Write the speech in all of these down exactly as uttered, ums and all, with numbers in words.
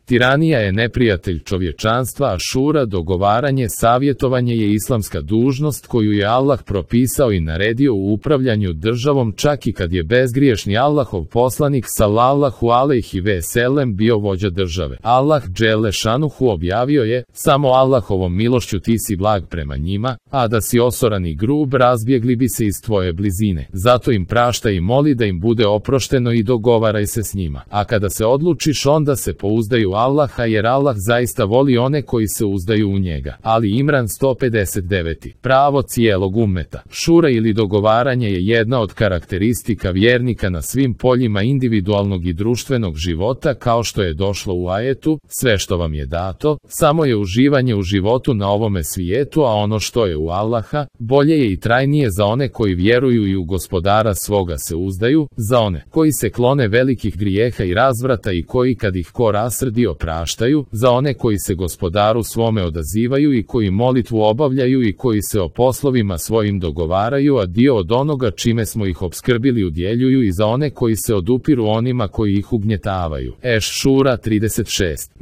Tiranija je neprijatelj čovječanstva, a šura, dogovaranje, savjetovanje je islamska dužnost koju je Allah propisao i naredio u upravljanju državom, čak i kad je bezgriješni Allahov poslanik sallallahu alejhi ve sellem bio vođa države. Allah dželle šanuhu objavio je: samo Allahovom milošću ti si blag prema njima, a da si osoran i grub razbjegli bi se iz tvoje blizine. Zato im praštaj i moli da im bude oprošteno i dogovaraj se s njima. A kada se odlučiš, onda se pouzdaju Allaha, jer Allah zaista voli one koji se uzdaju u njega. Ali Imran sto pedeset devet. Pravo cijelog ummeta. Šura ili dogovaranje je jedna od karakteristika vjernika na svim poljima individualnog i društvenog života, kao što je došlo u ajetu: sve što vam je dato, samo je uživanje u životu na ovome svijetu, a ono što je u Allaha, bolje je i trajnije za one koji vjeruju i u gospodara svoga se uzdaju, za one koji se klone velikih grijeha i razvrata i koji kad ih ko rasrdi opraštaju, za one koji se gospodaru svome odazivaju i koji molitvu obavljaju i koji se o poslovima svojim dogovaraju, a dio od onoga čime smo ih opskrbili udjeljuju, i za one koji se odupiru onima koji ih ugnjetavaju. Eš-Šura trideset šest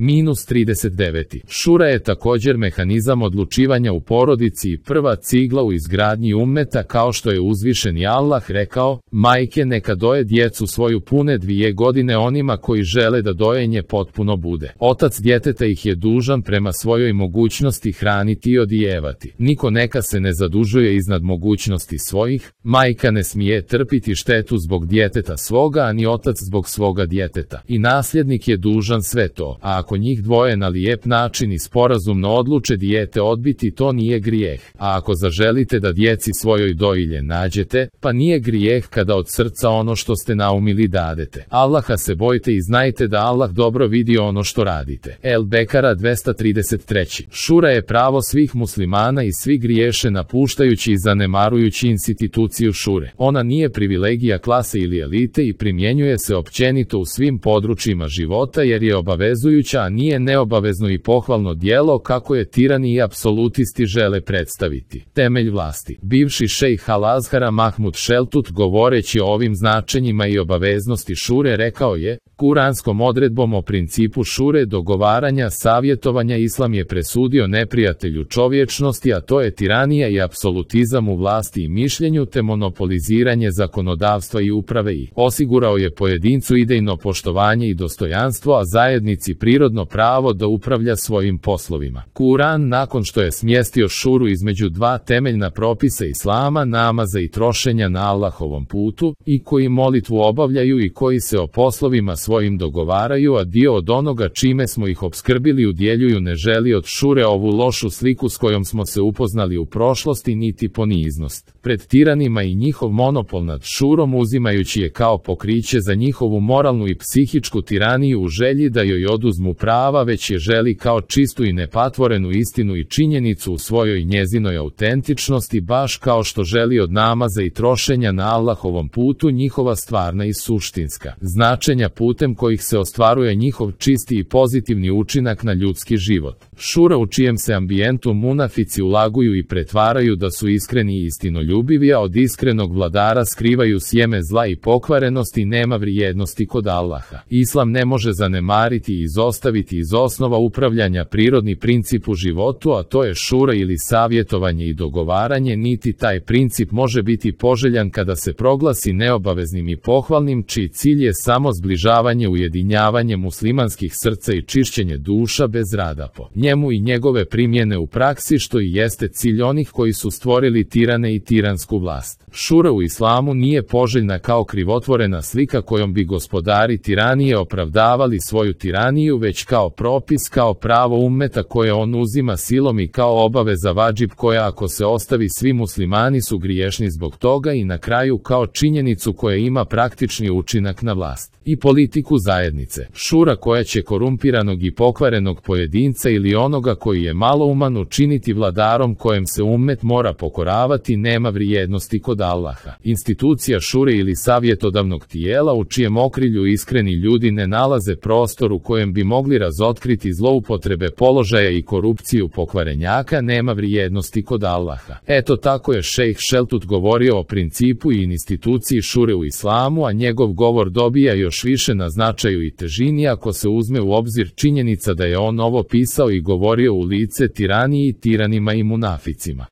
trideset devet. Šura je također mehanizam odlučivanja u porodici i prva cigla u izgradnji ummeta, kao što je uzvišeni Allah rekao: majke neka doje djecu svoju pune dvije godine onima koji žele da dojenje potpuno bude. Otac djeteta ih je dužan prema svojoj mogućnosti hraniti i odijevati. Niko neka se ne zadužuje iznad mogućnosti svojih, majka ne smije trpiti štetu zbog djeteta svoga, ani otac zbog svoga djeteta. I nasljednik je dužan sve to, a ako njih dvoje na lijep način i sporazumno odluče dijete odbiti, to nije grijeh. A ako zaželite da djeci svojoj dojilje nađete, pa nije grijeh kada od srca ono što ste naumili dadete. Allaha se bojte i znajte da Allah dobro vidi ono što radite. El Bekara dvesta trideset tri. Šura je pravo svih muslimana i svi griješe napuštajući i zanemarujući instituciju šure. Ona nije privilegija klase ili elite i primjenjuje se općenito u svim područjima života, jer je obavezujuća, a nije neobavezno i pohvalno djelo kako je tirani i apsolutisti žele predstaviti. Temelj vlasti. Bivši šejh Al-Azhara Mahmud Šeltut, govoreći o ovim značenjima i obaveznosti šure, rekao je: kuranskom odredbom o principu šure, dogovaranja, savjetovanja, islam je presudio neprijatelju čovječnosti, a to je tiranija i apsolutizam u vlasti i mišljenju, te monopoliziranje zakonodavstva i uprave, i osigurao je pojedincu idejno poštovanje i dostojanstvo, a zajednici prirodno pravo da upravlja svojim poslovima. Kuran, nakon što je smjestio šuru između dva temeljna propisa islama, namaza i trošenja na Allahovom putu, i koji molitvu obavljaju i koji se o poslovima svojim dogovaraju, a dio od onoga čime smo ih opskrbili udjeljuju, ne želi od šure ovu lošu sliku s kojom smo se upoznali u prošlosti, niti poniznost pred tiranima i njihov monopol nad šurom, uzimajući je kao pokriće za njihovu moralnu i psihičku tiraniju u želji da joj oduzmu prava, već je želi kao čistu i nepatvorenu istinu i činjenicu u svojoj njezinoj autentičnosti, baš kao što želi od namaza i trošenja na Allahovom putu njihova stvarna i suštinska značenja, putem kojih se ostvaruje njihov čisti i pozitivni učinak na ljudski život. Šura, u čijem se ambijentu munafici ulaguju i pretvaraju da su iskreni i istinoljubivi, a od iskrenog vladara skrivaju sjeme zla i pokvarenosti, nema vrijednosti kod Allaha. Islam ne može zanemariti i izostaviti iz osnova upravljanja prirodni princip u životu, a to je šura ili savjetovanje i dogovaranje, niti taj princip može biti poželjan kada se proglasi neobaveznim i pohvalnim, čiji cilj je samo zbližavanje, ujedinjavanje muslimanskih srca i čišćenje duša bez rada po njemu i njegove primjene u praksi, što i jeste cilj onih koji su stvorili tirane i tiransku vlast. Šura u islamu nije poželjna kao krivotvorena slika kojom bi gospodari tiranije opravdavali svoju tiraniju, već kao propis, kao pravo ummeta koje on uzima silom i kao obaveza vadžib koja, ako se ostavi, svi muslimani su griješni zbog toga, i na kraju kao činjenicu koja ima praktični učinak na vlast i politiku zajednice. Šura koja će korumpiranog i pokvarenog pojedinca ili onoga koji je malouman učiniti vladarom kojem se ummet mora pokoravati, nema vrijednosti kod Allaha. Institucija šure ili savjetodavnog tijela u čijem okrilju iskreni ljudi ne nalaze prostor u kojem bi mogli razotkriti zloupotrebe položaja i korupciju pokvarenjaka, nema vrijednosti kod Allaha. Eto, tako je šejh Šeltut govorio o principu i instituciji šure u islamu, a njegov govor dobija još više na na značaju i težini ako se uzme u obzir činjenica da je on ovo pisao i govorio u lice tiraniji, tiranima i munaficima.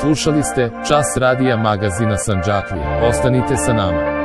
Slušali ste Čas radija magazina Sandžaklija. Ostanite sa nama.